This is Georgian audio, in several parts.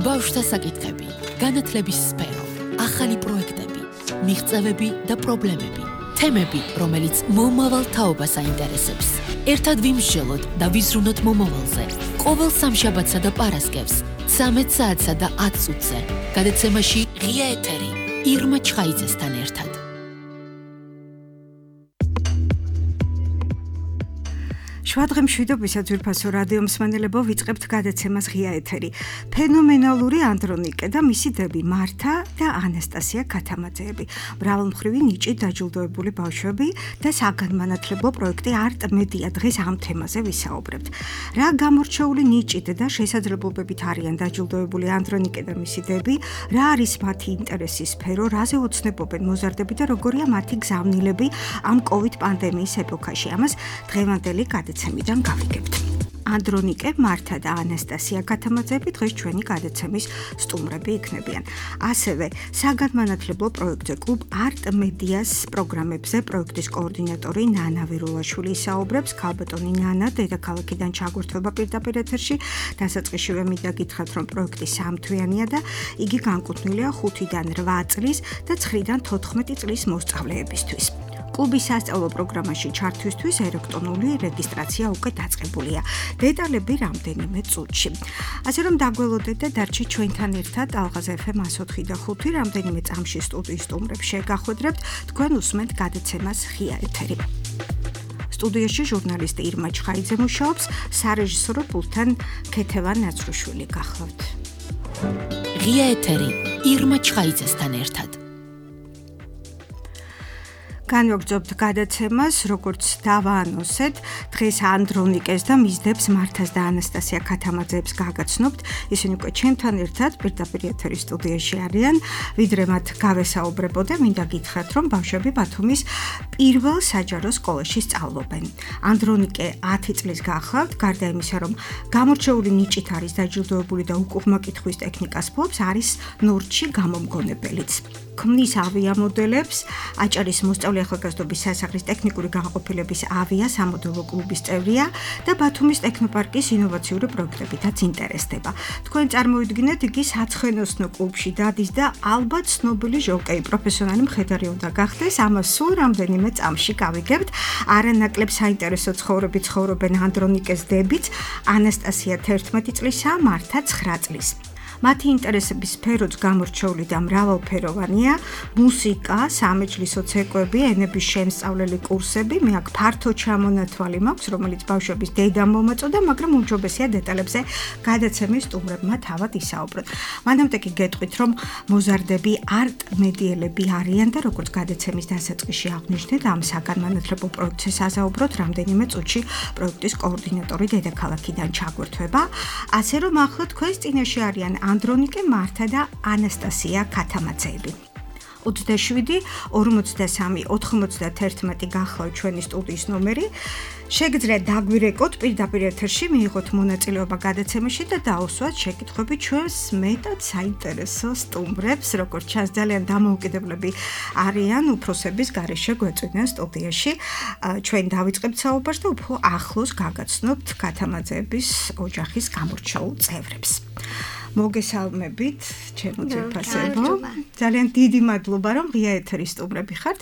ბავშვთა საკითხები, განათლების სფერო, ახალი პროექტები, მიღწევები და პრობლემები, თემები, რომელიც მომავალ თაობას აინტერესებს. ერთად ვიმსჯელოთ და ვიზრუნოთ მომავალზე. ყოველ სამშაბათსა და პარასკევს, 13 საათსა და 10 წუთზე. გადაცემაში ღია ეთერი, ირმა ჩხაიძესთან ერთად. შვადღე მშვიდობისა ძვირფასო რადიო მსმენელებო, ვიწყებთ გადაცემას ღია ეთერი. ფენომენალური ანდრონიკე და მისი დები მართა და ანასტასია ქათამაძეები, მრავალმხრივი ნიჭით დაჯილდოებული ბავშვები და საგანმანათლებლო პროექტი არტ მედია. დღეს ამ თემაზე ვისაუბრებთ. რა გამორჩეული ნიჭით და შესაძლებლობებით არიან დაჯილდოებული ანდრონიკე და მისი დები, რა არის მათი ინტერესის სფერო, რაზე ოცნებობენ მოზარდები და როგორია მათი გზავნილები ამ COVID პანდემიის ეპოქაში. ამას დღევანდელი გადაცემიდან გავიგებთ. ანდრონიკე, მართა და ანასტასია ქათამაძეები დღეს ჩვენი გადაცემის სტუმრები იქნებიან. ასევე საგანმანათლებლო პროექტზე კლუბ არტ მედიას პროგრამებზე პროექტის კოორდინატორი ნანა ვირულაშვილი ისაუბრებს. ქალბატონი ნანა დედაქალაქიდან ჩაგვერთვება პირდაპირ ეთერში. დასაწყისშივე მინდა გითხრათ, რომ პროექტი სამთვიანია და იგი განკუთვნილია 5-დან 8 წლის და 9-დან 14 წლის მოსწავლეებისთვის. კლუბის სასწავლო პროგრამაში ჩართვისთვის ელექტრონული რეგისტრაცია უკვე დაწყებულია. დეტალები რამდენიმე წუთში. ასე რომ დაგველოდეთ და დარჩით ჩვენთან ერთად ალღაზ FM 104 და 5 რამდენიმე წამში სტუდიის სტუმრებს შეგახვედრებთ. თქვენ უსმენთ გადაცემას ღია ეთერი. სტუდიაში ჟურნალისტი ირმა ჩხაიძე მუშაობს, სარეჟისორო პულტთან ქეთევან ნაცრუშვილი გახლავთ. ღია ეთერი, ირმა ჩხაიძესთან ერთად. განვაგრძობთ გადაცემას, როგორც დავაანონსეთ, დღეს ანდრონიკეს და მის დებს მართას და ანასტასია ქათამაძეებს გაგაცნობთ. ისინი უკვე ჩემთან ერთად პირდაპირ ეთერის სტუდიაში არიან. ვიდრე მათ გავესაუბრებოდე, მინდა გითხრათ, რომ ბავშვები ბათუმის პირველ საჯარო სკოლაში სწავლობენ. ანდრონიკე 10 წლის გახლავთ, გარდა იმისა, რომ გამორჩეული ნიჭით არის დაჯილდოებული და უკუღმა კითხვის ტექნიკას ფლობს, არის ნორჩი გამომგონებელიც. ქმნის ავიამოდელებს, აჭარის მოსწავლე ახალგაზრდობის სასახლის ტექნიკური განყოფილების ავიასამოდელო კლუბის წევრია და ბათუმის ტექნოპარკის ინოვაციური პროექტებითაც ინტერესდება. თქვენ წარმოიდგინეთ, იგი საცხენოსნო კლუბში დადის და ალბათ ცნობილი ჟოკეი, პროფესიონალი მხედარი უნდა გახდეს. ამას სულ რამდენიმე წამში გავიგებთ. არანაკლებ საინტერესო ცხოვრები ცხოვრობენ ანდრონიკეს დებიც, ანასტასია 11 წლისა, მართა 9 წლის. მათი ინტერესების სფეროც გამორჩეული და მრავალფეროვანია: მუსიკა, სამეჯლისო ცეკვები, ენების შემსწავლელი კურსები. მე აქ ფართო ჩამონათვალი მაქვს, რომელიც ბავშვების დედამ მომაწოდა, მაგრამ უმჯობესია დეტალებზე გადაცემის სტუმრებმა თავად ისაუბროთ. მანამდე კი გეტყვით, რომ მოზარდები არტ მედიელები არიან და როგორც გადაცემის დასაწყისში აღვნიშნეთ, ამ საგანმანათლებლო პროექტზე საზაუბროთ რამდენიმე წუთში პროექტის კოორდინატორი დედაქალაქიდან ჩაგვერთვება. ასე რომ ახლა თქვენს წინაშე არიან ანდრონიკე, მართა და ანასტასია ქათამაძეები. 27 43 91 გახლავთ ჩვენი სტუდიის ნომერი. შეგიძლიათ დაგვირეკოთ პირდაპირ ეთერში, მიიღოთ მონაწილეობა გადაცემაში და დაუსვათ შეკითხვები ჩვენს მეტად საინტერესო სტუმრებს. როგორც ჩანს, ძალიან დამოუკიდებლები არიან, უფროსების გარეშე გვეწვიდნენ სტუდიაში. ჩვენ დავიწყებთ საუბარს და უფრო ახლოს გაგაცნობთ ქათამაძეების ოჯახის გამორჩეულ წევრებს. მოგესალმებით, ჩემო ძვირფასებო. ძალიან დიდი მადლობა, რომ ღია ეთერის სტუმრები ხართ.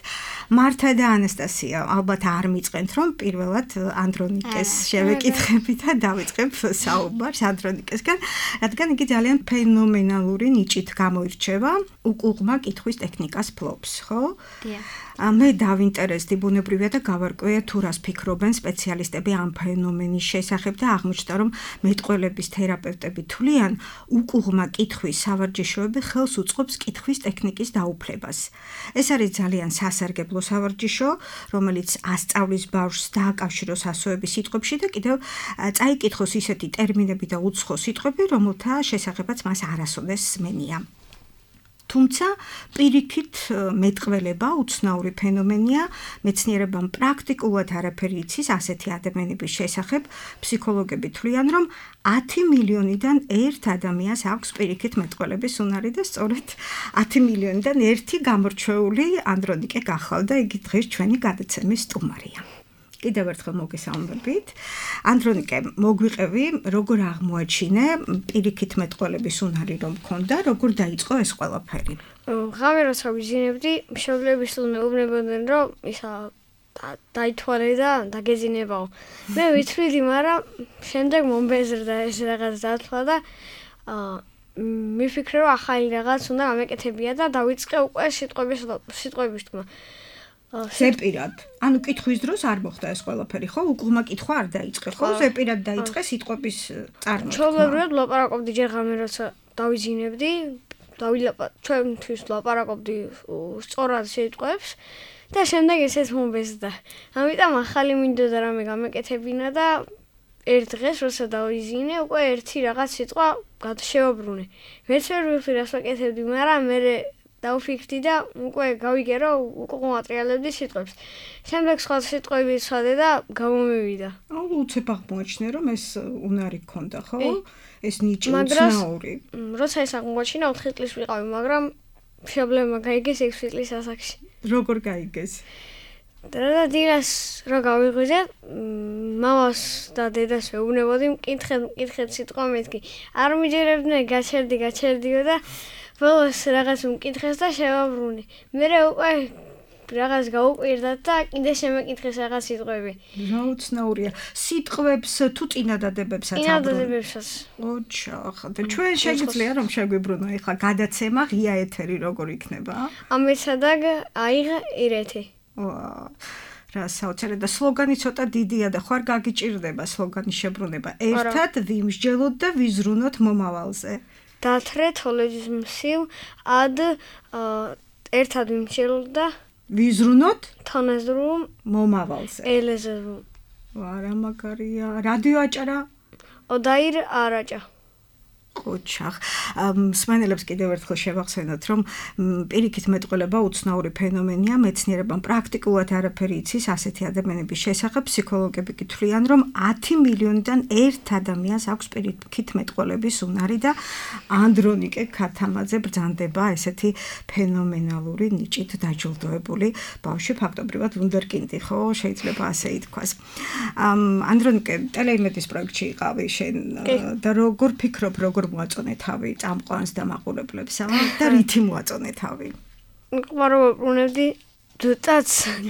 მართა და ანასტასია, ალბათ არ მიწყენთ, რომ პირველად ანდრონიკეს შევეკითხებით და დავიწყებ საუბარს ანდრონიკესგან, რადგან იგი ძალიან ფენომენალური ნიჭით გამოირჩევა, უკუღმა კითხვის ტექნიკას ფლობს, ხო? მე დავინტერესდი, ბუნებრივია და გავარკვია თუ რას ფიქრობენ სპეციალისტები ამ ფენომენის შესახებ და აღმოჩნდა, რომ მეტყველების თერაპევტები თვლიან, უკუღმა კითხვის სავარჯიშოები ხელს უწყობს კითხვის ტექნიკის დაუფლებას. ეს არის ძალიან სასარგებლო სავარჯიშო, რომელიც ასწავლის ბავშვს დააკავშიროს ასოების სიტყვებში და კიდევ წაიკითხოს ისეთი ტერმინები და უცხო სიტყვები, რომელთა შესახებაც მას არასოდეს სმენია. თუმცა პირიქით მეტყველება უცნაური ფენომენია, მეცნიერებამ პრაქტიკულად არაფერი იცის ასეთი ადამიანების შესახებ. ფსიქოლოგები თვლიან, რომ 10 მილიონიდან 1 ადამიანს აქვს პირიქით მეტყველების უნარი და სწორედ 10 მილიონიდან 1 გამორჩეული ანდრონიკე გახლავთ და იგი დღეს ჩვენი გადაცემის სტუმარია. კიდევ ერთხელ მოგესალმებით. ანდრონიკე, მოგვიყევი, როგორ აღმოაჩინე პირიქით მეტყველების უნარი რომ მქონდა, როგორ დაიწყო ეს ყველაფერი? ღამე როცა ვიზინებდი, მშობლების უვნებოდნენ რომ ისა დაითვალე და დაგეძინებაო. მე ვიცვიდი, მაგრამ შემდეგ მომბეზრდა ეს რაღაც დათვლა და მიფიქრე რომ ახალი რაღაც უნდა გამეკეთებია და დავიწყე უკვე სიტყვების თქმა. ზეპირად. ანუ კითხვის დროს არ მოხდა ეს ყველაფერი, ხო? უკუღმა კითხვა არ დაიწყე, ხო? ზეპირად დაიწყე სიტყვების წარმოთქმა. ჩვეულებრივად ლაპარაკობდი ჯერ ღამე როცა დავიზინებდი, ჩვენთვის ლაპარაკობდი სწორად სიტყვებს და შემდეგ ესეც მომბეზრდა. ამიტომ ახალი მინდოდა რამე გამეკეთებინა და ერთ დღეს როცა დავიზინე, უკვე ერთი რაღაც სიტყვა შევაბრუნე. მეც ვერ ვიხდი რას ვაკეთებდი, მაგრამ მე დავფიქრდი და უკვე გავიგე რომ უკვე მატრიალებდი სიტყვებს. შემდეგ სხვა სიტყვები ვცადე და გამომივიდა. აუ უცებ აღმოაჩინე რომ ეს უნარი გქონდა, ხო? ეს ნიჭი უცნაური. როცა ეს აღმოაჩინა 4 წლის ვიყავი, მაგრამ მშობლებმა გაიგეს 6 წლის ასაკში. როგორ გაიგეს? და დილას რო გავიღვიძე, მამას და დედას ვეუბნებოდი, მკითხეთ სიტყვა მეთქი. არ მიჯერებდნენ, გაჩერდიო და ბოლოს რაღაც მკითხეს და შევაბრუნე. მერე უკვე რაღაც გაუკვირდა და კიდე შემეკითხეს რაღაც სიტყვები. რა უცნაურია. სიტყვებს თუ წინადადებებსაც აბრუნე. წინადადებებსაც. ოჩახ, და ჩვენ შეგიძლია რომ შეგვიბრუნო ეხლა გადაცემა ღია ეთერი როგორ იქნება? ამეცაдаг აიღ ირეთი. რა საოცარი და სლოგანი ცოტა დიდია და ხარ გაგიჭირდება სლოგანის შებრუნება. ერთად ვიმსჯელოთ და ვიზრუნოთ მომავალზე. დათრე თოლეჯის მსივ ად ერთად ვიმსჯელოთ და ვიზრუნოთ თონეზრუმ მომავალზე. ელეზრუმ. რა მაგარია. რადიო აჭარა? ოდაირ არაჭა. ოჩახ. მსმენელებს კიდევ ერთხელ შევახსენოთ, რომ პირიქით მეტყველება უცნაური ფენომენია, მეცნიერებამ პრაქტიკულად არაფერი იცის ასეთი ადამიანების შესახებ, ფსიქოლოგები კი თვლიან, რომ 10 მილიონიდან 1 ადამიანს აქვს პირიქით მეტყველების უნარი და ანდრონიკე ქათამაძე ბრძანდება ესეთი ფენომენალური ნიჭით დაჯილდოებული ბავშვი, ფაქტობრივად ვუნდერკინდი, ხო, შეიძლება ასე ითქვას. ანდრონიკე ტელეიმედის პროექტში იყავი შენ და როგორ ფიქრობ, როგორ მოაწონე თავი წამყვანს და მაყურებლებსა და რითი მოაწონე თავი? ვარაუბრუნებდი დუტაც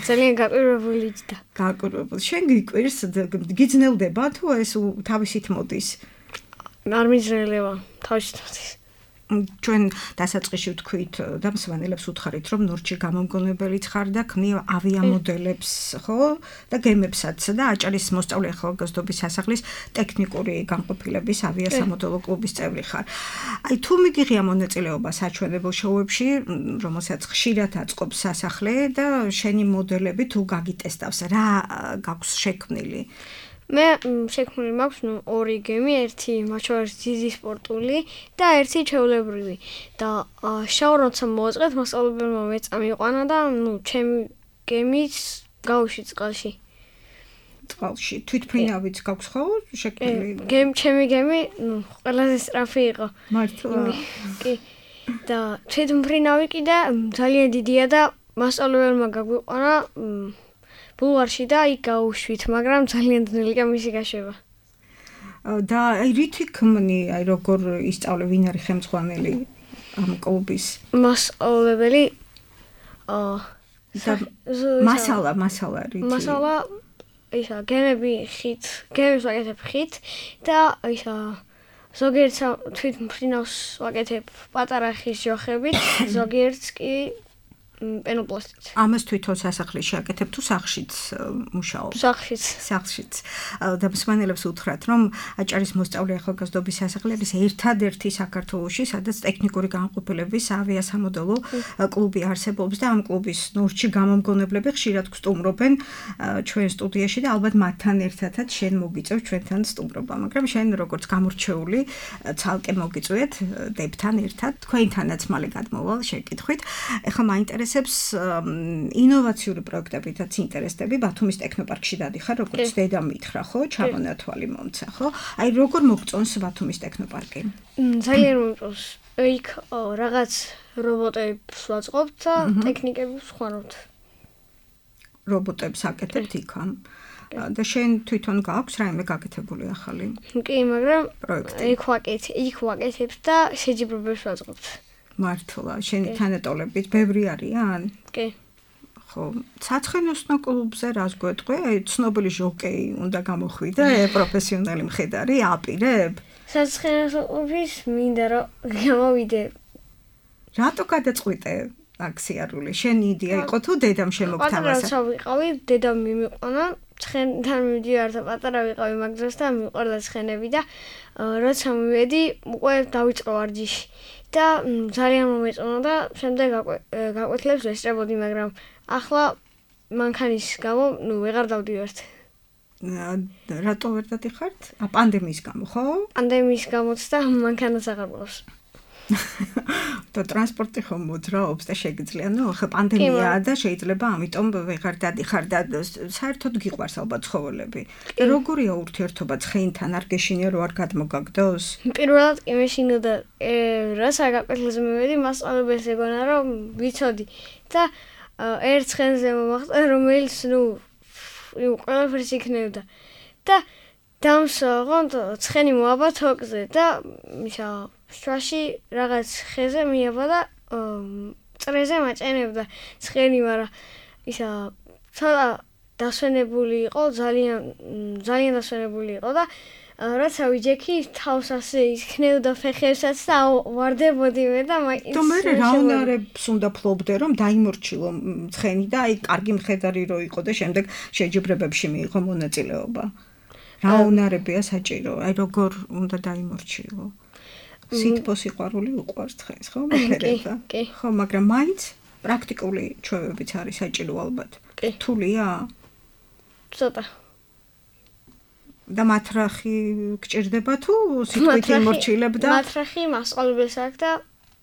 ძალიან გაკვირვებული და გაკვირვებული. შენ გიკვირს, გიძნელდება თუ ეს თავისით მოდის? არ მიძნელება თავისით მოდის. ჩვენ დასაწყისში ვთქვით და მსმენელებს უთხარით, რომ ნორჩი გამომგონებელიც ხარ და ქმნი ავიამოდელებს, ხო? და გემებსაც და აჭარის მოსწავლე ახალგაზრდობის სასახლის ტექნიკური განყოფილების ავიასამოდელო კლუბის წევრი ხარ. აი თუ მიგიღია მონაწილეობა საჩვენებელ შოუებში, რომელსაც ხშირად აწყობს სასახლე და შენი მოდელები თუ გაგიტესტავს, რა გაქვს შექმნილი? მე შექმნილი მაქვს ორი გემი, ერთი მათ შორის დიდი სპორტული და ერთი ჩვეულებრივი. და შაურ როცა მოვაწყეთ, მასწავლებელმა მეწამიყვანა და ჩემი გემიც გავუშვი წყალში. წყალში თვითფრინავიც გაქვს ხო შექმნილი? ჩემი გემი ყველაზე სწრაფი იყო. მართლა? კი. და თვითმფრინავი კი და ძალიან დიდია და მასწავლებელმა გაგვიყვანა ბულვარში და იქ გავუშვით, მაგრამ ძალიან ძნელია მისი გაშვება. და აი რითი ქმნი, აი როგორ ისწავლე, ვინ არის ხელმძღვანელი ამ კლუბის? მასწავლებელი მასალა რითი? მასალა ისა გემები ხით, გემებს ვაკეთებ ხით და ისა ზოგიერთ თვითმფრინავს ვაკეთებ პატარა ხის ჯოხებით, ზოგიერთს კი პენოპლასტით. ამას თვითონ სასახლეში აკეთებ თუ სახლშიც მუშაობ? სახლშიც. და მსმენელებს უთხრათ, რომ აჭარის მოსწავლე ახალგაზრდობის სასახლე არის ერთადერთი საქართველოში, სადაც ტექნიკური განყოფილების ავიასამოდელო კლუბი არსებობს და ამ კლუბის ნორჩი გამომგონებლები ხშირად გსტუმრობენ ჩვენ სტუდიაში და ალბათ მათთან ერთადაც შენ მოგიწევ ჩვენთან სტუმრობა, მაგრამ შენ როგორც გამორჩეული ცალკე მოგიწვიეთ დებთან ერთად, თქვენთანაც მალე გადმოვალ შეკითხვით. ეხლა მაინტერესებს ინოვაციური პროექტებითაც ინტერესდები, ბათუმის ტექნოპარკში დადიხარ, როგორც დედა მითხრა, ხო, ჩამონათვალი მომცა, ხო? აი როგორ მოგწონს ბათუმის ტექნოპარკი? ძალიან მომწონს. იქ რაღაც რობოტებს ვაწყობთ და ტექნიკებს ვხმარობთ. რობოტებს აკეთებთ იქ ამ? და შენ თვითონ გაქვს რაიმე გაკეთებული ახალი? კი, მაგრამ პროექტი. იქ ვაკეთებ და შეჯიბრებებს ვაწყობთ. მართლა, შენი თანატოლებით ბევრი არიან? კი. ხო, საცხენოსნო კლუბზე რას გვეტყვი? ცნობილი ჟოკეი უნდა გამოხვიდე, პროფესიონალი მხედარი, აპირებ? საცხენოსნო კლუბის მინდა რომ გამოვიდე. რატო გადაწყვიტე აქ სიარული? შენი იდეა იყო თუ დედამ შემოგთავაზა? პატარა როცა ვიყავი, დედამ მიმიყვანა, ცხენთან მივდივარ და პატარა ვიყავი მაგ დროს და მიყვარდა ცხენები და როცა მივედი, უკვე დავიწყო ვარჯიში. და ძალიან მომეწონა და შემდეგ გაკვეთილებს ვესწრებოდი, მაგრამ ახლა მანქანის გამო, ვეღარ დავდივართ. რატო ვერ დადიხართ? პანდემიის გამო, ხო? პანდემიის გამოც და მანქანაც აღარ მყავს. და ტრანსპორტი ხომ მოძრაობს და შეგიძლია, ხო პანდემიაა და შეიძლება ამიტომ ვეღარ დადიხარ და საერთოდ გიყვარს ალბათ ცხოველები. და როგორია ურთიერთობა ცხენთან? არ გეშინია რომ არ გადმოგაგდოს? პირველად კი მეშინოდა, რაცა გაკვეთილზე მივედი, მასწავლებელს ეგონა რომ ვიცოდი და ერთ ცხენზე მომახდა, რომელიც ყველაფერს იქნევდა. და დამსვაღოთ ცხენი მოაბა თოკზე და ისა შუაში რაღაც ხეზე მიაბა და წრეზე მაჭენებდა ცხენი, მაგრამ ისა ცოტა დასვენებული იყო, ძალიან დასვენებული იყო და რაცა ვიჯექი თავს ასე იქნევდა ფეხებსაც და ვარდებოდი მე და მაინც და მე რა უნარებს უნდა ფლობდე რომ დაიმორჩილო ცხენი და აი კარგი მხედარი რო იყო და შემდეგ შეჯიბრებებში მიიღო მონაწილეობა. რა უნარებია საჭირო? აი როგორ უნდა დაიმორჩილო? სითბო სიყვარული უყვარს ცხენს, ხო? მეთერება. ხო, მაგრამ მაინც პრაქტიკული ჩვევებიც არის საჭირო ალბათ. რთულია? ცოტა. და მათრახი გჭირდება თუ სიტყვით იმორჩილებ და მათრახი მასწავლებელს აქვს და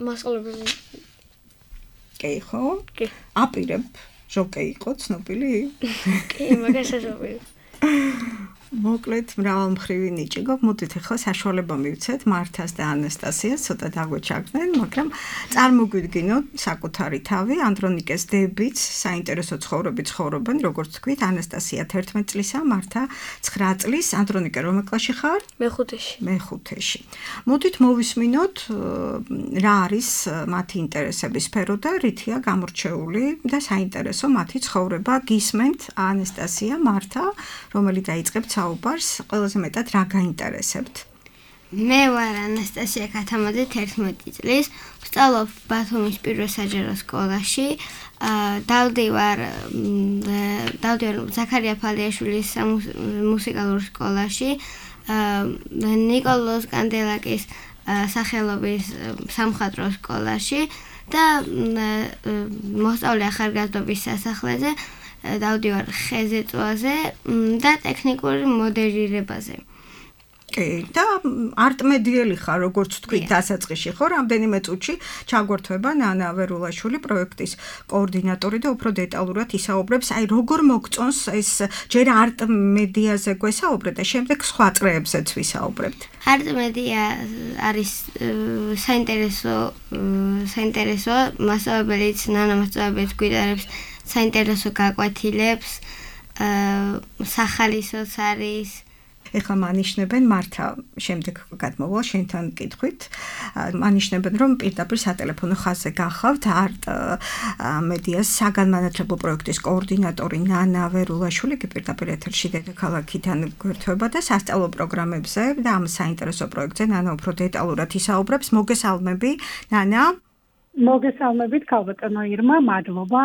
მასწავლებელი. კი, ხო? კი. აპირებ ჟოკეი იყო ცნობილი? კი, მაგას აზრობი. მოკლედ მრავალმხრივი ნიჭი გქონდათ. მოდით ახლა საშუალება მივცეთ მართას და ანასტასიას ცოტა დაგვეჩაგდნენ, მაგრამ წარმოგვიდგინოთ საკუთარი თავი. ანდრონიკეს დებიც საინტერესო ცხოვრებით ცხოვრობენ, როგორც თქვით, ანასტასია 11 წლისაა, მართა 9 წლის. ანდრონიკე რომელ კლასში ხარ? მეხუთეში. მეხუთეში. მოდით მოვისმინოთ რა არის მათი ინტერესების სფერო და რითია გამორჩეული და საინტერესო მათი ცხოვრება. გისმენთ ანასტასია, მართა, რომელიც დაიწყებთ საუბარს, ყველაზე მეტად რა გაინტერესებთ? მე ვარ ანასტასია ქათამაძე 11 წლის, ვსწავლობ ბათუმის პირველ საჯარო სკოლაში. დავდივარ ზაქარია ფალიაშვილის მუსიკალურ სკოლაში, ნიკოლოზ კანდელაკის სახელობის სამხატვრო სკოლაში და მოსწავლე ახალგაზრდობის სასახლეზე. დავდივარ ხეზეწვაზე და ტექნიკურ მოდელირებაზე. კი, და არტმედიელი ხარ, როგორც თქვი, დასაწყისში ხო, რამდენიმე წუთში ჩაგვერთვება ნანა ვერულაშვილი, პროექტის კოორდინატორი და უფრო დეტალურად ისაუბრებს, აი როგორ მოგწონს ეს ჯერ არტმედიაზე გვესაუბრეთ და შემდეგ სხვა წრეებზეც ვისაუბრებთ. არტმედია არის საინტერესო მასწავლებელიც, ნანა მასწავლებელიც გვიტარებს საინტერესო გაკვეთილებს, სახალისოც არის. ეხლა მანიშნებენ მართა, შემდეგ გადმოვალ შენთან კითხვით, მანიშნებენ რომ პირდაპირ სატელეფონო ხაზზე გახავთ არტ მედიას საგანმანათლებლო პროექტის კოორდინატორი ნანა ვერულაშვილი, კი პირდაპირ ეთერში დედაქალაქიდან გვერდება და სასწავლო პროგრამებზე და ამ საინტერესო პროექტზე ნანა უფრო დეტალურად ისაუბრებს. მოგესალმები, ნანა. მოგესალმებით ქალბატონო ირმა, მადლობა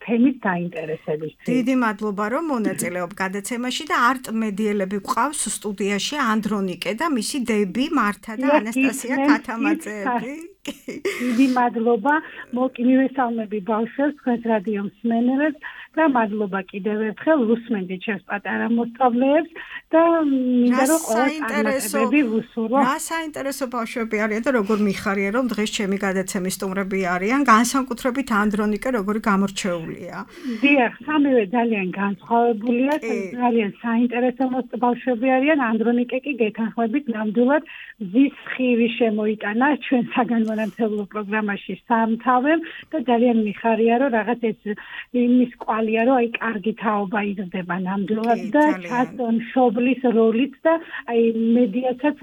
თემის დაინტერესებისთვის. დიდი მადლობა რომ მონაწილეობ გადაცემაში და არტმედიელები გვყავს სტუდიაში ანდრონიკე და მისი დები მართა და ანასტასია ქათამაძეები. დიდი მადლობა, მივესალმები ბავშვებს, თქვენს რადიო მსმენელებს და მადლობა კიდევ ერთხელ უსმენდით ჩემს პატარა მოსწავლეებს და მინდა რომ ყველასაინტერესოები ვუსურვო. რა საინტერესო ბავშვები არიან და როგორ მიხარია რომ დღეს ჩემი გადაცემის სტუმრები არიან, განსაკუთრებით ანდრონიკე როგორი გამორჩეულია. დიახ, სამივე ძალიან განსხვავებულია, ძალიან საინტერესო ბავშვები არიან. ანდრონიკე კი გეთანხმებით ნამდვილად მზის ხივი შემოიტანა ჩვენ საგანმანათლებლო პროგრამაში სამთავემ და ძალიან მიხარია რომ რაღაც ეს იმის კვალი მართალია რომ აი კარგი თაობა იზრდება ნამდვილად და მშობლის როლიც და აი მედიაცაც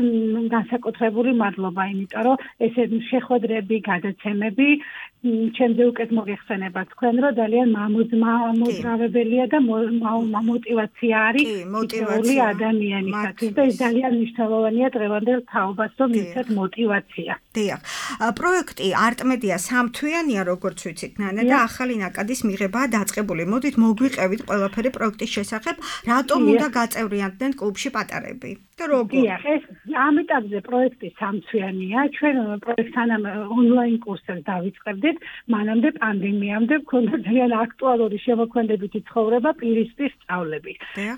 განსაკუთრებული მადლობა, იმიტომ რომ ესე შეხვედრები, გადაცემები ჩემზე უკეთ მოიხსენება თქვენ რომ ძალიან მამოძრავებელია და მოტივაცია არის მოტივაცია ადამიანისათვის და ეს ძალიან მნიშვნელოვანია დღევანდელ თაობას რომ მისცეთ მოტივაცია. დიახ. პროექტი არტმედია სამთვიანია როგორც ვიცით ნანა და ახალი ნაკადის მიღებაა დაწყებული. მოდით მოგვიყევით ყველაფერი პროექტის შესახებ, რატომ უნდა გაწევრიანდნენ კლუბში პატარები? და როგორ? დიახ, ეს ამ ეტაპზე პროექტი სამთვიანია. ჩვენ პროექტთან ონლაინ კურსებს დავიწყებდით, მანამდე პანდემიამდე მქონდა ძალიან აქტუალური შემოქმედებითი ცხოვრება, პირისპირ სწავლები.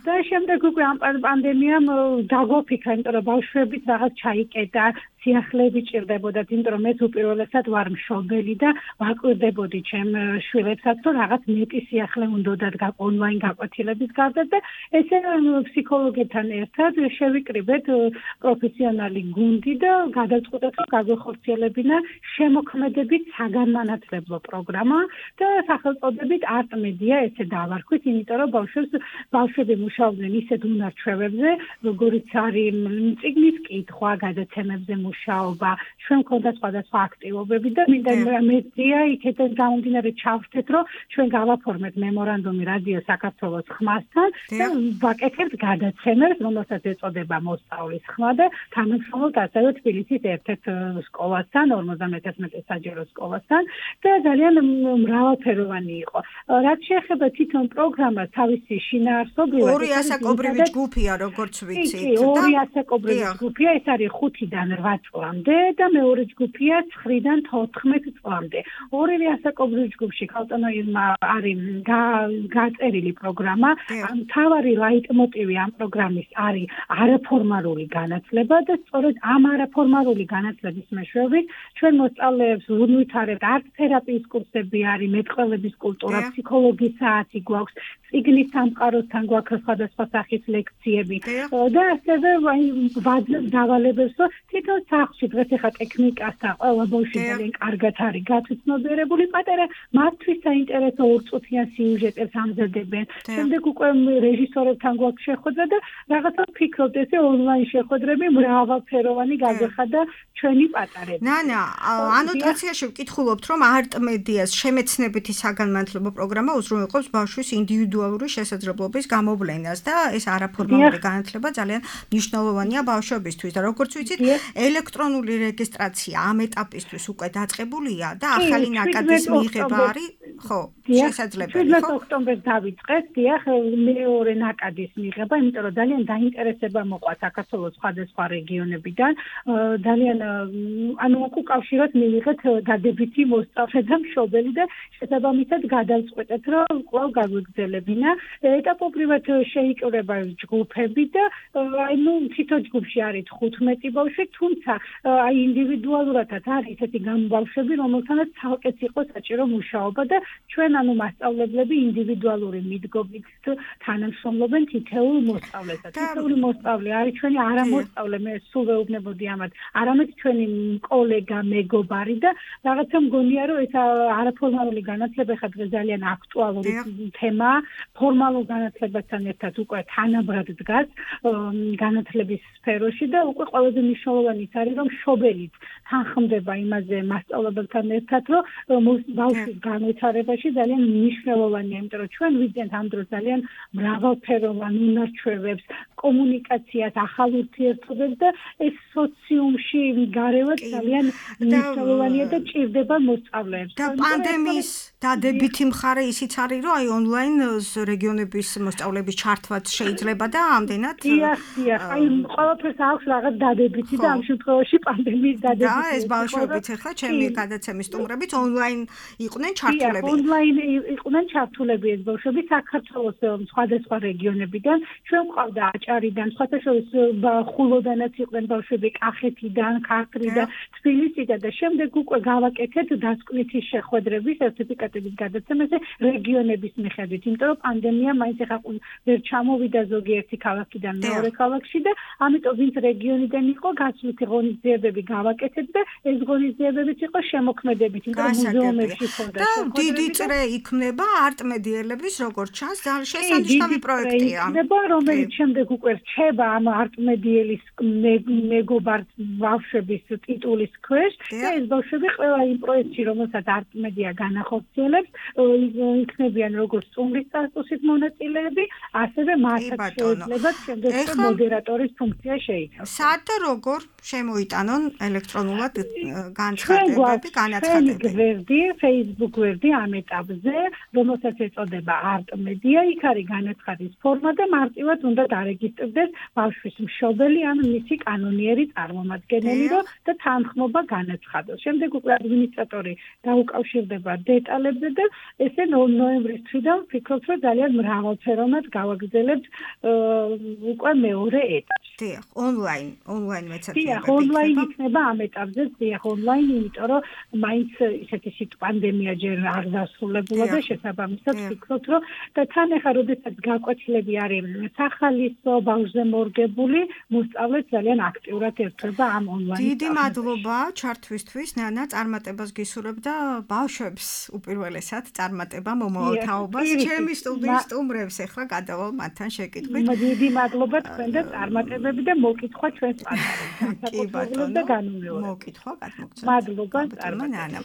და შემდეგ უკვე ამ პანდემიამ დაგვაფიქრა, იმიტომ რომ ბავშვებიც რაღაც ჩაიკეტა, სიახლეები ჭირდებოდათ, იმიტომ რომ მეც უპირველესად ვარ მშობელი და ვაკვირდებოდი ჩემ შვილებსაც, რომ რაღაც მეტი სიახლე უნდათ ონლაინ გაკვეთილების გარდა და ესე ფსიქოლოგებთან ერთად შევიკრიბეთ პროფესიონალი გუნდი და გადავწყვიტეთ, რომ გაგვეხორციელებინა შემოქმედებით საგანმანათლებლო პროგრამა და სახელწოდებით არტმედია ესე დავარქვით, იმიტომ რომ ბავშვები მუშაობდნენ ისეთ უნარჩვევებზე, როგორიც არის წიგნის კითხვა, გადაცემებზე მუშაობა, ჩვენ მქონდა სხვადასხვა აქტივობები და მინდა მედია იქიდან გამომდინარე ჩავშთეთ, რომ ჩვენ გავაფორმეთ მემორანდუმი რადიო საქართველოს ხმასთან და ვაკეთებთ გადაცემებს, რომელსაც ეწოდება მოსწავლის ხმა და თანამშრომლობთ ასევე თბილისის ერთ-ერთ სკოლასთან, 51 საჯარო სკოლასთან და ძალიან მრავალფეროვანი იყო. რაც შეეხება თვითონ პროგრამას, თავისი შინაარსობრივად ორი ასაკობრივი ჯგუფია, როგორც ვიცით. ორი ასაკობრივი ჯგუფია, ეს არის 5-დან 8 წლამდე და მეორე ჯგუფია 9-დან 14 წლამდე. ორივე ასაკობრივ ჯგუფში ქალწონოებმა არის გაწერილი პროგრამა. მთავარი ლაიტმოტივი ამ პროგრამის არის არაფორმალური განათლება და სწორედ ამ არაფორმალური განათლების მეშვეობით ჩვენ მოსწავლეებს ვუნვითარებთ ართ-თერაპიის კურსები არის, მეტყველების კულტურა, ფსიქოლოგიის საათი გვაქვს, წიგნის სამყაროსთან გვაქვს სხვადასხვა სახის ლექციები და ასევე ვაძლევთ დავალებებს, რომ თვითონ სახლში დღეს ახლა ტექნიკასთან ყველა ბავშვი ძალიან კარგად არის გათვითნობიერებული, პატარა მათთვის საინტერესო ორწუთიან სიუჟეტებს ამზადებენ. შემდეგ უკვე რეჟისორებთან გვაქვს შეხვედრა და რაღაცა ვფიქრობთ, ესე ონლაინ შეხვედრები მრავალფეროვანი გაგვეხადა ჩვენი პატარები. ნანა, ანოტაციაში ვკითხულობთ, რომ არტმედიას შემეცნებითი საგანმანათლებლო პროგრამა უზრუნველყოფს ბავშვის ინდივიდუალური შესაძლებლობის გამოვლენას და ეს არაფორმალური განათლება ძალიან მნიშვნელოვანია ბავშვებისთვის და როგორც ვიცით, ელექტრონული რეგისტრაცია ამ ეტაპისთვის უკვე დაწყებულია და ახალი ნაკადის მიღება არის, ხო, შესაძლებელი, ხო? 17 ოქტომბერს დავიწყეთ, დიახ, მეორე ნაკადის მიღება, იმიტომ რომ ძალიან დაინტერესება მოყვა საქართველოს სხვადასხვა რეგიონებიდან, ძალიან უკავშიროთ მივიღეთ დადებითი მოსწავლე და მშობელი და შესაბამისად გადავწყვეტეთ, რომ კვლავ გაგვიგრძელებინა. ეტაპობრივად შეიკრება ჯგუფები და თითო ჯგუფში არის 15 ბავშვი, თუმცა ინდივიდუალურადაც არის ესეთი ბავშვები, რომელთანაც ცალკეც იყო საჭირო მუშაობა და ჩვენ მასწავლებლები ინდივიდუალური მიდგომით თანამშრომლობენ თითოეულ მოსწავლეთან. თითოეული მოსწავლე არის ჩვენი არამოსწავლე, მე სულ ვეუბნებოდი ამათ, არამედ ჩვენი კოლეგა, მეგობარი და რაღაცა მგონია, რომ ეს არაფორმალური განათლება ხა დღეს ძალიან აქტუალური თემაა. ფორმალურ განათლებასთან ერთად უკვე თანაბრად დგას განათლების სფეროში და უკვე ყველაზე მნიშვნელოვანი არის, რომ მშობელიც თანხმდება იმაზე მასწავლებელთან ერთად, რომ ბავშვის განვითარებაში ძალიან მნიშვნელოვანია, იმიტომ რომ ჩვენ ვიძენთ ამ დროს ძალიან მრავალფეროვან უნარჩვევებს, კომუნიკაციას, ახალ ურთიერთობებს და ეს სოციუმში გარევაც ძალიან მნიშვნელოვანია და ჭირდება მოსწავლეებს. და პანდემიის დადებითი მხარე ისიც არის, რომ აი ონლაინ რეგიონების მოსწავლეების ჩართვაც შეიძლება და ამდენად დიახ, აი ყველაფერს აქვს რაღაც დადებითი და ამ შემთხვევაში პანდემიის დადებითი. და ეს ბავშვებიც ახლა ჩემი გადაცემის სტუმრებიც ონლაინ იყვნენ ჩართულები. ონლაინ იყვნენ ჩართულები ეს ბავშვები საქართველოს სხვადასხვა რეგიონებიდან. ჩვენ ყავდა აჭარიდან, სხვადასხვა ხულოდანაც იყვნენ ბავშვები, კახეთიდან, ქართლიდან, თბილისიდან და შემდეგ უკვე გავაკეთეთ დასკვნითი შეხვედრები სერტიფიკატების გადაცემაზე რეგიონების მიხედვით, იმიტომ რომ პანდემია მაინც ახლა ვერ ჩამოვიდა ზოგიერთი ქალაქიდან მეორე ქალაქში და ამიტომ ვინც რეგიონიდან იყო გასვლითი ღონისძიებები გავაკეთეთ და ეს ღონისძიებებიც იყო შემოქმედებით, იმიტომ რომ მუზეუმებში ხონდა. და დიდ დიდი წრე იქმნება არტ-მედიელების როგორც ჩანს ძალიან შესანიშნავი პროექტია. იქნება რომელიც შემდეგ უკვე რჩება ამ არტ-მედიელის მეგობარ ბავშვების ტიტულის ქვეშ და ეს ბავშვები ყველა იმ პროექტში რომელსაც არტ-მედია განახორციელებს იქნებიან როგორც სტუმრის სტატუსით მონაწილეები ასევე მათაც შეეძლებათ შემდეგ მოდერატორის ფუნქცია შეიცვალოს. სად და როგორ შემოიტანონ ელექტრონულად განცხადებები, განაცხადები? Facebook გვერდი ამ ეტაპზე, რომელსაც ეწოდება არტ-მედია, იქ არის განაცხადის ფორმა და მარტივად უნდა დარეგისტრდეს ბავშვის მშობელი ან მისი კანონიერი წარმომადგენელი, რომ და თანხმობა განაცხადოს. შემდეგ უკვე ადმინისტრატორი დაუკავშირდება დეტალებზე და ესე ნოემბრის თვიდან ვფიქრობ, რომ ძალიან მრავალფეროვნად გავაგრძელებთ უკვე მეორე ეტაპში. დიახ, ონლაინ მეცადინებები. დიახ, ონლაინ იქნება ამ ეტაპზე, დიახ, ონლაინ, იმიტომ რომ მაინც ისეთი პანდემია ჯერ არ დასრულებულა და შესაბამისად ვფიქრობ, რომ და თან ახლა როდესაც გაკვეთილები არის სახალისო ბავშვზე მორგებული, მოსწავლე ძალიან აქტიურად ერთვება ამ ონლაინ. დიდი მადლობა ჩართვისთვის, ნანა, წარმატებას გისურვებ და ბავშვებს უპირველესად წარმატება მომავალ თაობას. ჩემი სტუდიის სტუმრებს ახლა გადავალ მათთან შეკითხვით. დიდი მადლობა თქვენ და წარმატებები და მოკითხვა ჩვენს პარტნიორებს. კი ბატონო, მოკითხვა გადმოგცემთ. მადლობა, ნანა.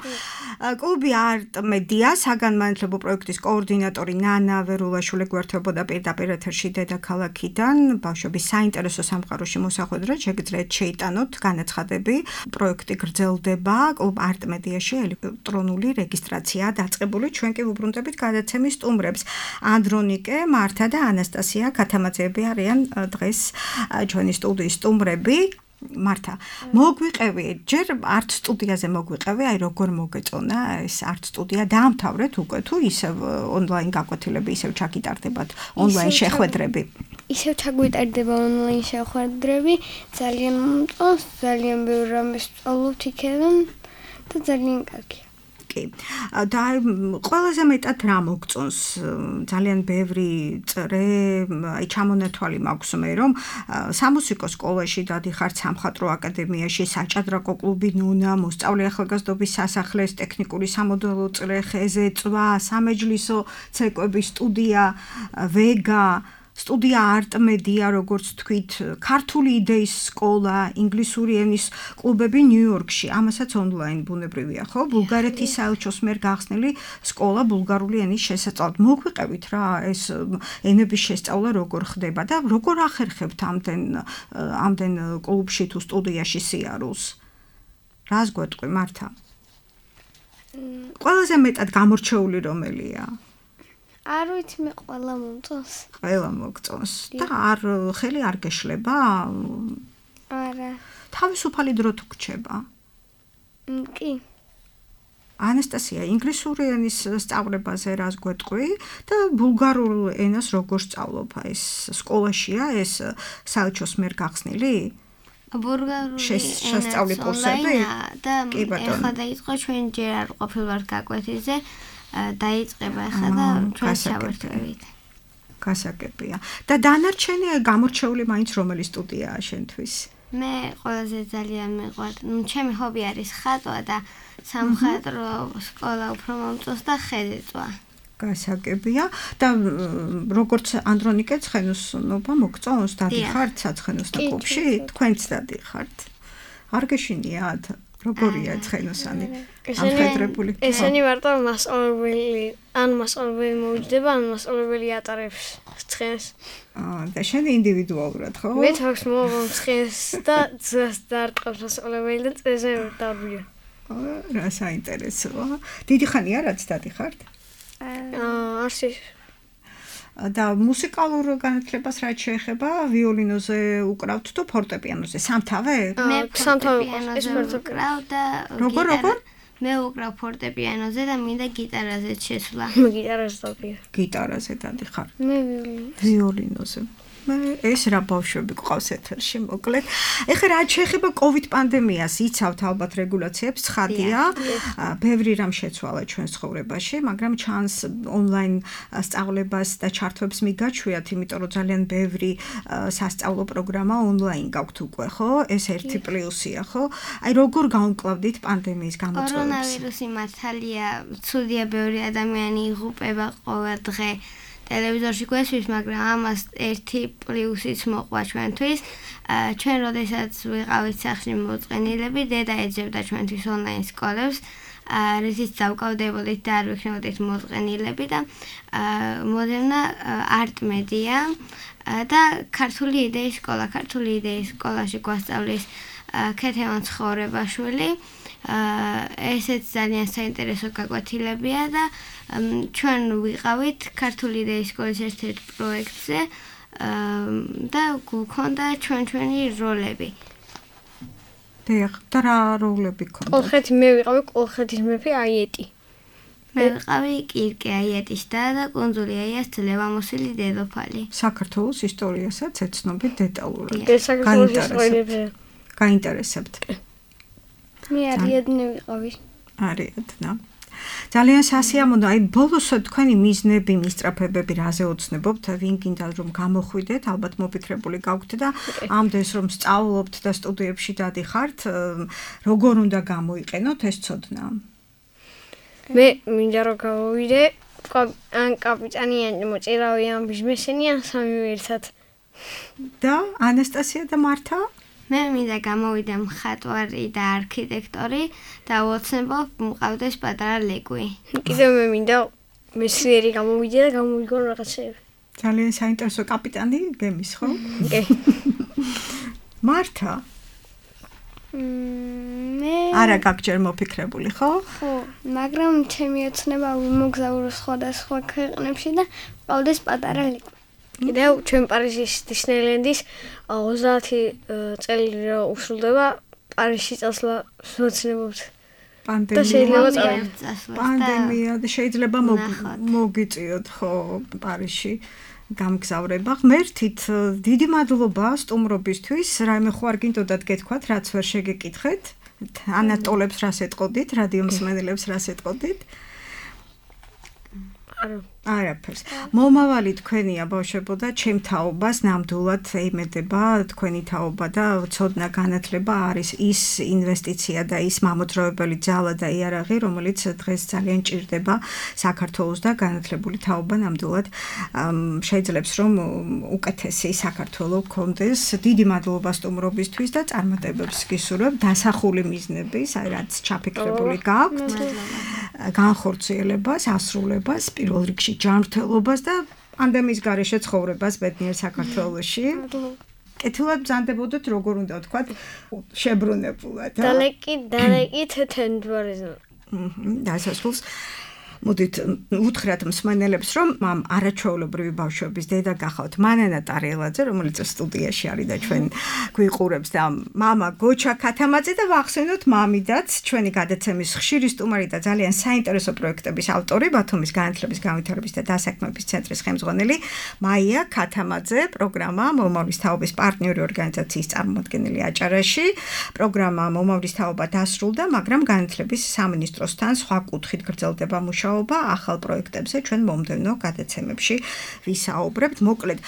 კლუბი არტ-მედია საგანმანათლებლო პროექტის კოორდინატორი ნანა ვერულაშვილი გვერდებოდა პირდაპირ ეთერში დედაქალაქიდან. ბავშვების საინტერესო სამყაროში მოსახვედრად შეგიძლიათ შეიტანოთ განაცხადები. პროექტი გრძელდება კლუბ არტ-მედიაში ელექტრონული რეგისტრაცია დაწყებული. ჩვენ კი ვუბრუნდებით გადაცემის სტუმრებს. ანდრონიკე, მართა და ანასტასია ქათამაძეები არიან დღეს ჩვენი სტუდიის სტუმრები. მართა, მოგვიყევი, ჯერ არტ სტუდიაზე მოგვიყევი, აი როგორ მოგეწონა ეს არტ სტუდია, დაამთავრეთ უკვე თუ ისევ ონლაინ გაკვეთილები, ისევ ჩაგიტარდებათ ონლაინ შეხვედრები? ისევ ჩაგვიტარდება ონლაინ შეხვედრები, ძალიან მომწონს, ძალიან ბევრ რამეს ვსწავლობთ იქიდან და ძალიან კარგია. და ყველაზე მეტად რა მოგწონს? ძალიან ბევრი წრე, აი ჩამონათვალი მაქვს მე რომ სამუსიკო სკოლაში დადიხართ, სამხატვრო აკადემიაში, საჭადრაკო კლუბი ნუნა, მოსწავლე ახალგაზრდობის სასახლეს, ტექნიკური სამოდელო წრე, ხეზეწვა, სამეჯლისო ცეკვების სტუდია, ვეგა, სტუდია არტ-მედია, როგორც თქვით, ქართული იდეის სკოლა, ინგლისური ენის კლუბები ნიუ-იორკში, ამასაც ონლაინ ბუნებრივია, ხო? ბულგარეთის საელჩოს მიერ გახსნილი სკოლა ბულგარული ენის შესწავლად. მოგვიყევით რა ეს ენების შესწავლა როგორ ხდება და როგორ ახერხებთ ამდენ კლუბში თუ სტუდიაში სიარულს? რას გვეტყვი, მართა? ყველაზე მეტად გამორჩეული რომელია? არ ვიცი, მე ყველა მომწონს. ყველა მოგწონს და ხელი არ გეშლება? არა. თავისუფალი დრო თუ გრჩება? კი. ანასტასია, ინგლისური ენის სწავლებაზე რას გვეტყვი და ბულგარულ ენას როგორ სწავლობ? ეს სკოლაშია ეს საელჩოს მიერ გახსნილი? ბულგარული შესწავლი კურსები? და ეხლა დაიწყო ჩვენ ჯერ არ ყოფილვართ გაკვეთილზე. დაიწყება ახლა და ჩვენ შევერთვით. გასაგებია. და დანარჩენი გამორჩეული მაინც რომელი სტუდიაა შენთვის? მე ყველაზე ძალიან მიყვარს, ჩემი ჰობი არის ხატვა და სამხატვრო სკოლა უფრო მომწონს და ხეზეწვა. გასაგებია და როგორც ანდრონიკე ცხენოსნობა მოგწონს, დადიხართ საცხენოსნო კლუბში? თქვენც დადიხართ? არ გეშინიათ? როგორია ცხენოსანი? ამხედრებული. ესენი მარტო მასწავლებელი მოვიჯდება, ან მასწავლებელი ატარებს ცხენს. და შენ ინდივიდუალურად, ხო? მე თავს მოვამ ცხენს და ძას დარტყავს მასწავლებელი და წეზე დავბია. რა საინტერესოა. დიდი ხანია რაც დადიხართ? არსი. და მუსიკალურ განათლებას რაც შეეხება, ვიოლინოზე უკრავთ თუ ფორტეპიანოზე? სამთავე? მე სამთავე ვკრავ და როგორ? მე უკრავ ფორტეპიანოზე და მინდა გიტარაზეც შესვლა. მე გიტარაზე დავდია. გიტარაზე დადიხარ? მე ვიოლინოზე. ეს რა ბავშვები გვყავს ეთერში მოკლედ. ეხლა რა შეეხება COVID პანდემიას, იცავთ ალბათ რეგულაციებს, ცხადია. ბევრი რამ შეცვალა ჩვენ ცხოვრებაში, მაგრამ ჩანს ონლაინ სწავლებას და ჩართვებს მიგაჩვიათ, იმიტომ რომ ძალიან ბევრი სასწავლო პროგრამა ონლაინ გაქვთ უკვე, ხო? ეს ერთი პლუსია, ხო? აი როგორ გავუკლავდით პანდემიის გამოწვევებს? კორონავირუსი მართალია, ცუდია, ბევრი ადამიანი იღუპება ყოველ დღე ტელევიზორში გვესმის, მაგრამ ამას ერთი პლუსიც მოყვა ჩვენთვის. ჩვენ როდესაც ვიყავით სახლში მოწყენილები, დედა ეძებდა ჩვენთვის ონლაინ სკოლებს, რითიც დავკავდებოდით და არ ვიქნებოდით მოწყენილები და მოდევნა არტ-მედია და ქართული იდეის სკოლა. ქართული იდეის სკოლაში გვასწავლის ქეთევან ცხოვრებაშვილი. ესეც ძალიან საინტერესო გაკვეთილებია და ჩვენ ვიყავით ქართული იდეის სკოლის ერთ-ერთ პროექტზე და გვქონდა ჩვენი როლები. და რა როლები გქონდა? კოლხეთი მე ვიყავი კოლხეთის მეფე აიეტი. მე ვიყავი კირკე აიეტის და კუნძული აიას ძლევამოსილი დედოფალი. საქართველოს ისტორიასაც ეცნობით დეტალურად. საქართველოს ისტორიებზე. გაინტერესებთ. მე არიადნე ვიყავი. არიადნა. ძალიან სასიამოვნო, აი ბოლოსო თქვენი მიზნები, მისწრაფებები რაზე ოცნებობთ, ვინ გინდა რომ გამოხვიდეთ, ალბათ მოფიქრებული გაქვთ და ამდენს რომ სწავლობთ და სტუდიებში დადიხართ, როგორ უნდა გამოიყენოთ ეს ცოდნა? მე მინდა რომ გავოვიდე, ან კაპიტანი ან მოწირავი ან ბიზნესმენი ან სამივე ერთად. და ანასტასია და მართა? მე მინდა გამოვიდე მხატვარი და არქიტექტორი და ვოცნებობ მყავდეს პატარა ლეკვი. კიდევ მე მინდა მეცნიერი გამოვიდე და გამოვიგო რაღაცეები. ძალიან საინტერესო კაპიტანი გემის, ხო? კი. მართა? მე არა გაგჯერ მოფიქრებული, ხო? ხო, მაგრამ ჩემი ოცნება ვიმოგზაურო სხვადასხვა ქვეყნებში და მყავდეს პატარა ლეკვი. კიდევ ჩვენ პარიზის დისნეილენდის 30 წელი რა უსრულდება პარიზში წასვლა ვოცნებობთ. პანდემია და შეიძლება მოგიწიოთ ხო პარიზში გამგზავრება. ღმერთით დიდი მადლობა სტუმრობისთვის. რაიმე ხო არ გინდოდათ გეთქვათ, რაც ვერ შეგეკითხეთ? ანატოლებს რას ეტყოდით, რადიო მსმენელებს რას ეტყოდით? არაფერს. მომავალი თქვენია ბავშვებო და ჩემ თაობას ნამდვილად ემედება თქვენი თაობა და ცოდნა განათლება არის ის ინვესტიცია და ის მამოძრავებელი ძალა და იარაღი, რომელიც დღეს ძალიან ჭირდება საქართველოს და განათლებული თაობა ნამდვილად შეძლებს რომ უკეთესი საქართველო გქონდეს. დიდი მადლობა სტუმრობისთვის და წარმატებებს გისურვებ დასახული მიზნების, აი რაც ჩაფიქრებული გაქვთ. განხორციელებას, ასრულებას, პირველ რიგში ჯანმრთელობას და პანდემიის გარეშე ცხოვრებას ბედნიერ საქართველოში. კეთილად ბრძანდებოდეთ, როგორ უნდა ვთქვათ, შებრუნებულად. დალეკით თენდვარიზმ. დასასრულს მოდით უთხრათ მსმენელებს, რომ ამ არაჩვეულებრივი ბავშვების დედა გახავთ მანანა ტარიელაძე, რომელიც სტუდიაში არის და ჩვენ გვიყურებს და მამა გოჩა ქათამაძე და ვახსენოთ მამიდაც, ჩვენი გადაცემის ხშირი სტუმარი და ძალიან საინტერესო პროექტების ავტორი, ბათუმის განათლების განვითარების და დასაქმების ცენტრის ხელმძღვანელი მაია ქათამაძე, პროგრამა მომავლის თაობის პარტნიორი ორგანიზაციის წარმომადგენელი აჭარაში. პროგრამა მომავლის თაობა დასრულდა, მაგრამ განათლების სამინისტროსთან სხვა კუთხით გრძელდება მუშაობა. ახალ პროექტებზე ჩვენ მომდევნო გადაცემებში ვისაუბრებთ. მოკლედ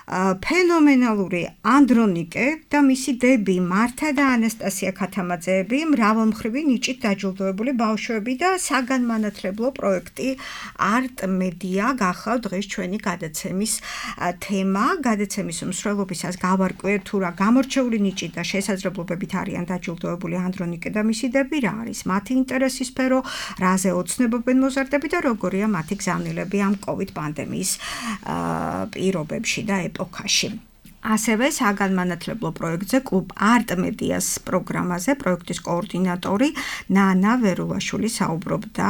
ფენომენალური ანდრონიკე და მისი დები მართა და ანასტასია ქათამაძეები მრავალმხრივი ნიჭით დაჯილდოებული ბავშვები და საგანმანათლებლო პროექტი არტ-მედია გახავთ დღეს ჩვენი გადაცემის თემა. გადაცემის მსვლელობისას გავარკვიეთ თუ რა გამორჩეული ნიჭით და შესაძლებლობებით არიან დაჯილდოებული ანდრონიკე და მისი დები, რა არის მათი ინტერესის სფერო, რაზე ოცნებობენ მოზარდები და როგორია მათი გზავნილები ამ COVID პანდემიის პირობებში და ეპოქაში. ასევე საგანმანათლებლო პროექტზე კლუბ არტმედიას პროგრამაზე პროექტის კოორდინატორი ნანა ვერულაშვილი საუბრობდა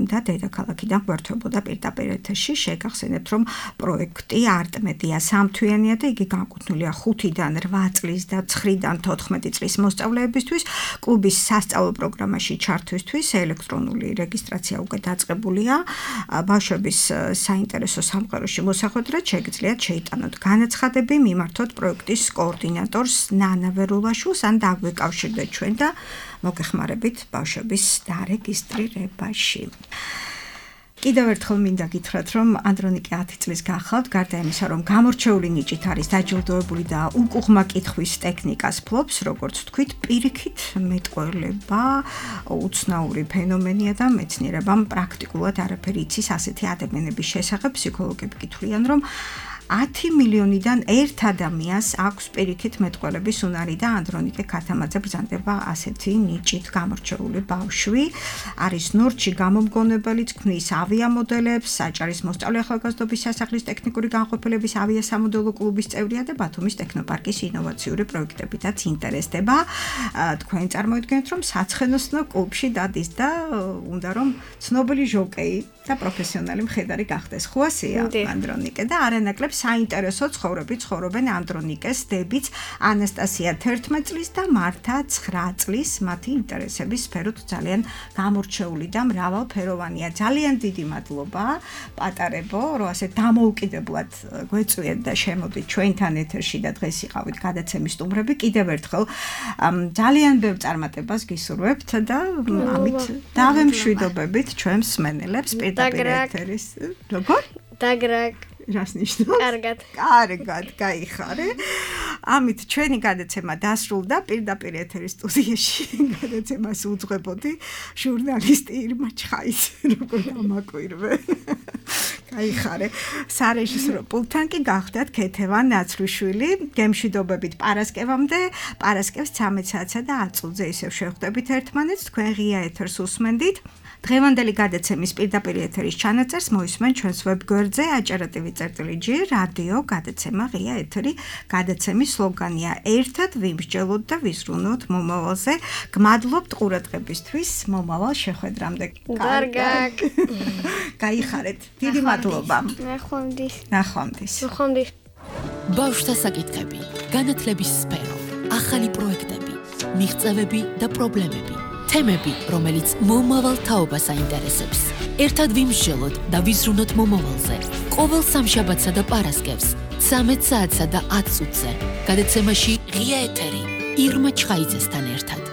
და დედაქალაქიდან გვერდებოდა პირდაპირ ეთერში. შეგახსენებთ, რომ პროექტი არტმედია სამთვიანია და იგი განკუთვნილია 5-დან 8 წლის და 9-დან 14 წლის მოსწავლეებისთვის. კლუბის სასწავლო პროგრამაში ჩართვისთვის ელექტრონული რეგისტრაცია უკვე დაწყებულია. ბავშვების საინტერესო სამყაროში მოსახვედრად შეგიძლიათ შეიტანოთ განაცხადები, მიმართოთ პროექტის კოორდინატორს ნანა ვერულაშვილს ან დაგვეკავშირდეთ ჩვენ და მოგეხმარებით ბავშვების დარეგისტრირებაში. კიდევ ერთხელ მინდა გითხრათ, რომ ანდრონიკე 10 წლის გახავთ, გარდა იმისა, რომ გამორჩეული ნიჭით არის დაჯილდოებული და უკუღმა კითხვის ტექნიკას ფლობს, როგორც ვთქვით, პირიქით მეტყველება უცნაური ფენომენია და მეცნიერებამ პრაქტიკულად არაფერი იცის ასეთი ადამიანების შესახებ. ფსიქოლოგები გითვლიან, რომ 10 მილიონიდან 1 ადამიანს აქვს პირიქით მეტყველების უნარი და ანდრონიკე ქათამაძე ბრძანდება ასეთი ნიჭით გამორჩეული ბავშვი. არის ნორჩი გამომგონებელიც, ქმნის ავიამოდელებს, საჭარის მოსწავლე ახალგაზრდობის სასახლის ტექნიკური განყოფილების ავიასამოდელო კლუბის წევრია და ბათუმის ტექნოპარკის ინოვაციური პროექტებითაც ინტერესდება. თქვენ წარმოიდგენთ, რომ საცხენოსნო კლუბში დადის და უნდა რომ ცნობილი ჟოკეი და პროფესიონალი მხედარი გახდეს. ხო ასეა ანდრონიკე და არანაკლებ საინტერესო ცხოვრებით ცხოვრობენ ანდრონიკეს დებიც ანასტასია 11 წლის და მართა 9 წლის. მათი ინტერესების სფეროთ ძალიან გამორჩეული და მრავალფეროვანია. ძალიან დიდი მადლობა პატარებო, რომ ასე დამოუკიდებლად გვეწვიეთ და შემოდით ჩვენთან ეთერში და დღეს იყავით გადაცემის სტუმრები. კიდევ ერთხელ ძალიან ბევრ წარმატებას გისურვებთ და ამით დავემშვიდობებით ჩვენ მსმენელებს პირდაპირ ეთერის. როგორ? დაგრაკ. რას ნიშნავს? კარგად. კარგად, გაიხარე. ამით ჩვენი გადაცემა დასრულდა. პირდაპირ ეთერის სტუდიაში გადაცემას უძღვებოდი ჟურნალისტი ირმა ჩხაის, როგორ დამაკვირვე. გაიხარე. სარეჟისორო პულტთან კი გახდათ ქეთევან ნაცრუშვილი. გემშვიდობებით პარასკევამდე. პარასკევს 13 საათსა და 10 წუთზე ისევ შევხვდებით ერთმანეთს. თქვენ ღია ეთერს უსმენდით. დღევანდელი გადაცემის პირდაპირ ეთერის ჩანაწერს მოისმენ ჩვენს ვებგვერდზე acara.tv/g რადიო გადაცემა ღია ეთერი. გადაცემის სლოგანია ერთად ვიმსჯელოთ და ვიზრუნოთ მომავალზე. გმადლობთ ყურადღებისთვის. მომავალ შეხვედრამდე. კარგად. გაიხარეთ. დიდი მადლობა. ნახვამდის. ბავშვთა საკითხები, განათლების სფერო, ახალი პროექტები, მიღწევები და პრობლემები. თემები, რომელიც მომავალ თაობას აინტერესებს. ერთად ვიმსჯელოთ და ვიზრუნოთ მომავალზე. ყოველ სამშაბათსა და პარასკევს 13 საათსა და 10 წუთზე. გადაცემაში ღია ეთერი ირმა ჩხაიძესთან ერთად.